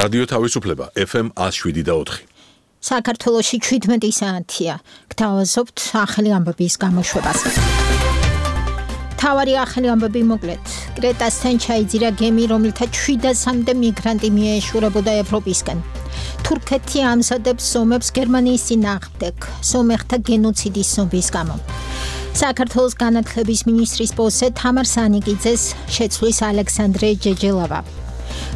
რადიო თავისუფლება FM 107.4. საქართველოში 17 საათია. გთავაზობთ ახალი ამბების გამოშვებას. თავარი ახალი ამბები მოკლედ. კრეტასთან ჩაიძირა გემი, რომელთა 700-მდე მიგრანტი მიეშურებოდა ევროპისკენ. თურქეთი ამზადებს ომებს გერმანიის წინააღმდეგ, სომეხთა გენოციდის ცნობის გამო. საქართველოს განათლების მინისტრის პოსტზე თამარ სანიკიძეს შეცვლის ალექსანდრე ჯეჯელავა.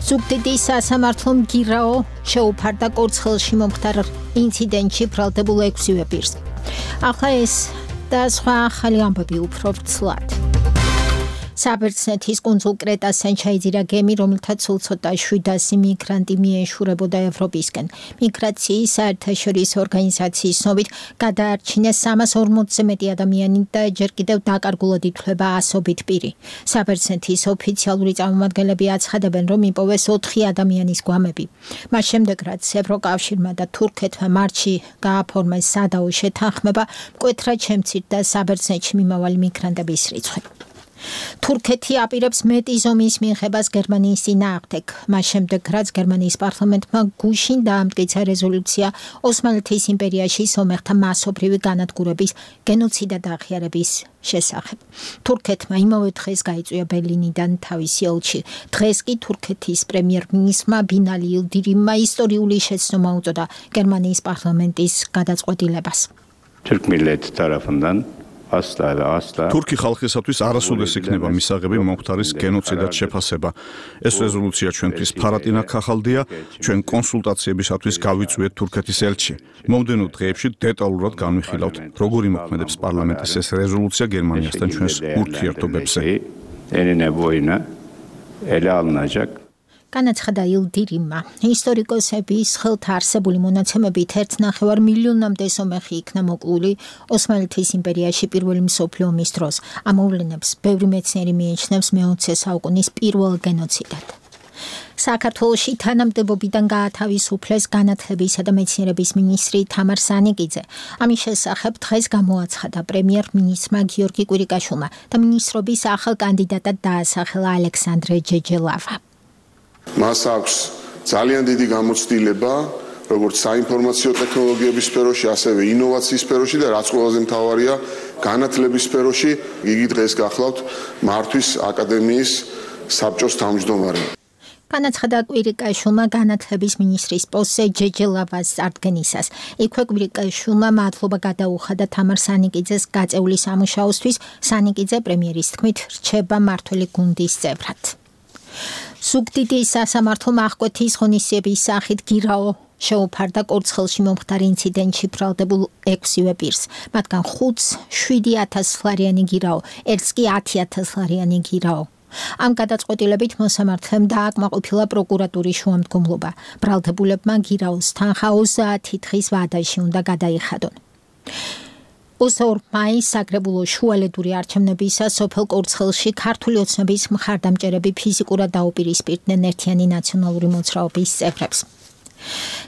ზუგდიდის სასამართლომ გირაო შეუფარდა კორცხელში მომხდარ ინციდენტში ბრალდებულ 6-ვე პირს. ახლა ეს და სხვა ახალი ამბები უფრო ვრცლად. საბერძნეთის კუნძულ კრეტასთან ჩაიძირა გემი, რომელთა სულ ცოტა 700 მიგრანტი მიეშურებოდა ევროპისკენ. მიგრაციის საერთაშორისო ორგანიზაციის ცნობით გადაარჩინეს 340-ზე მეტი ადამიანი და ჯერ კიდევ დაკარგულად ითვლება 100-ობით პირი. საბერძნეთის ოფიციალური წარმომადგენლები აცხადებენ, რომ იპოვეს 4 ადამიანის გვამები. მას შემდეგ, რაც ევროკავშირმა და თურქეთმა მარტში გააფორმეს სადაო შეთანხმება, მკვეთრად შემცირდა საბერძნეთში მიმავალი მიგრანტების რიცხვი. თურქეთი აპირებს მეტი ზომის მიღებას გერმანიის წინააღმდეგ. მას შემდეგ, რაც გერმანიის პარლამენტმა გუშინ დაამტკიცა რეზოლუცია ოსმალეთის იმპერიაში სომეხთა მასობრივი განადგურების, გენოციდ და აღიარების შესახებ. თურქეთმა იმავე დღეს გაიწვია ბერლინიდან თავისი ელჩი. დღეს კი თურქეთის პრემიერ-მინისტრმა ბინალი ილდირიმმა ისტორიული შეცდომა უწოდა გერმანიის პარლამენტის გადაწყვეტილებას. Türk milleti tarafından თურქი ხალხისათვის არასოდეს იქნება მისაღები მომხდარის გენოციდად შეფასება. ეს რეზოლუცია ჩვენთვის ფარატინა ქახალდია, ჩვენ კონსულტაციებისათვის გავიწვიეთ თურქეთის ელჩი. მომდენო დღეებში დეტალურად განვიხილავთ, როგორ იმოქმედებს პარლამენტის ეს რეზოლუცია გერმანიასთან ჩვენს ურთიერთობებზე. განაცხადა ილდირიმმა. ისტორიკოსების ხელთ არსებული მონაცემებით 1,5 მილიონამდე სომეხი იქნა მოკლული ოსმალეთის იმპერიაში პირველი მსოფლიო ომის დროს. ამ მოვლენებს ბევრი მეცნიერი მიიჩნევს მე-20 საუკუნის პირველ გენოციდად. საქართველოში თანამდებობიდან გაათავისუფლეს განათლებისა და მეცნიერების მინისტრი თამარ სანიკიძე. ამის შესახებ დღეს გამოაცხადა პრემიერ-მინისტრმა გიორგი კვირიკაშვილმა და მინისტრობის ახალ კანდიდატად დაასახელა ალექსანდრე ჯეჯელავა. მას აქვს ძალიან დიდი გამოცდილება, როგორც საინფორმაციო ტექნოლოგიების სფეროში, ასევე ინოვაციის სფეროში და რაც ყველაზე მთავარია, განათლების სფეროში. იგი დღეს გახლავთ მართვის აკადემიის საბჭოს თავმჯდომარე. განაცხადა კვირიკაშვილმა განათლების მინისტრის პოსტზე ჯეჯელავას წარდგენისას. იქვე კვირიკაშვილმა მადლობა გადაუხადა თამარ სანიკიძეს გაწეული სამუშაოსთვის. სანიკიძე პრემიერის თქმით რჩება მმართველი გუნდის წევრად. ზუგდიდის სასამართლომ აღკვეთის ღონისძიების სახით გირაო შეუფარდა კორცხელში მომხდარ ინციდენტში ბრალდებულ 6-ვე პირს. მათგან 5-ს 7,000 ლარიანი გირაო, ერთს კი 10,000 ლარიანი გირაო. ამ გადაწყვეტილებით მოსამართლემ დააკმაყოფილა პროკურატურის შუამდგომლობა. ბრალდებულებმა გირაოს თანხა 30 დღის ვადაში უნდა გადაიხადონ. 22 მაისს საგრებულო შუალედური არჩევნებისას სოფელ კორცხელში ქართული ოცნების მხარდამჭერები ფიზიკურად დაუპირისპირდნენ ერთიანი ნაციონალური მოძრაობის წევრებს.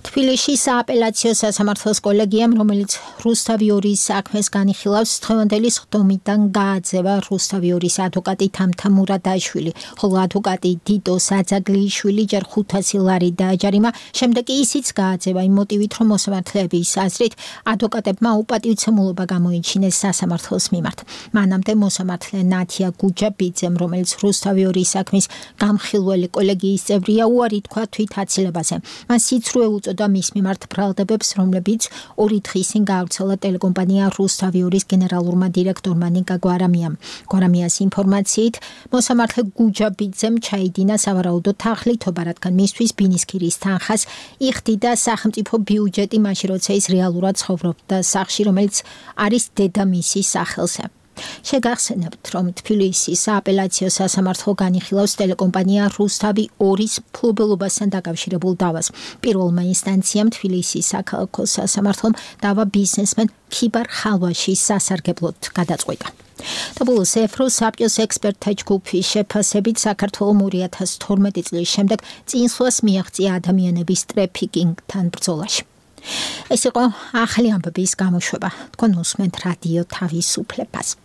თბილისში სააპელაციო სასამართლოს კოლეგიამ, რომელიც რუსთავი 2-ის საქმეს განიხილავს, დღევანდელი სხდომიდან გააძევა რუსთავი 2-ის ადვოკატი თამთა მურადაშვილი, ხოლო ადვოკატი დიდო საძაგლიშვილი ჯერ 500 ლარი დააჯარიმა, შემდეგ კი ისიც გააძევა იმ მოტივით, რომ მოსამართლეების აზრით ადვოკატებმა უპატივცემულობა გამოიჩინეს სასამართლოს მიმართ. მანამდე მოსამართლე ნათია გუჯაბიძემ, რომელიც რუსთავი 2-ის საქმის გამხილველი კოლეგიის წევრია, უარი თქვა თვით აცილებაზე. მან სიცრუე უწოდა მის მიმართ ბრალდებებს, რომლებიც 2 დღის წინ გაავრცელა ტელეკომპანია რუსთავი 2-ის გენერალურმა დირექტორმა ნიკა გვარამიამ. გვარამიას ინფორმაციით, მოსამართლე გუჯაბიძემ ჩაიდინა სავარაუდო თაღლითობა, რადგან მისთვის ბინისქირის თანხას იხდიდა სახელმწიფო ბიუჯეტი, მაშინ როცა ის რეალურად ცხოვრობდა სახლში, რომელიც არის დედამისის სახელზე. შეგახსენებთ, რომ თბილისის სააპელაციო სასამართლო განიხილავს ტელეკომპანია რუსთავი 2-ის ფლობელობასთან დაკავშირებულ დავას. პირველმა ინსტანციამ თბილისის საქალაქო სასამართლომ დავა ბიზნესმენ ქიბარ ხალვაშის სასარგებლოდ გადაწყვიტა. და ბოლოს ევროსაბჭოს ექსპერტთა ჯგუფის შეფასებით საქართველოს 2012 წლის შემდეგ წინსვლას მიაღწია ადამიანების ტრეფიკინგთან ბრძოლაში. ეს იყო ახალი ამბების გამოშვება. თქვენ უსმენთ რადიო თავისუფლებას.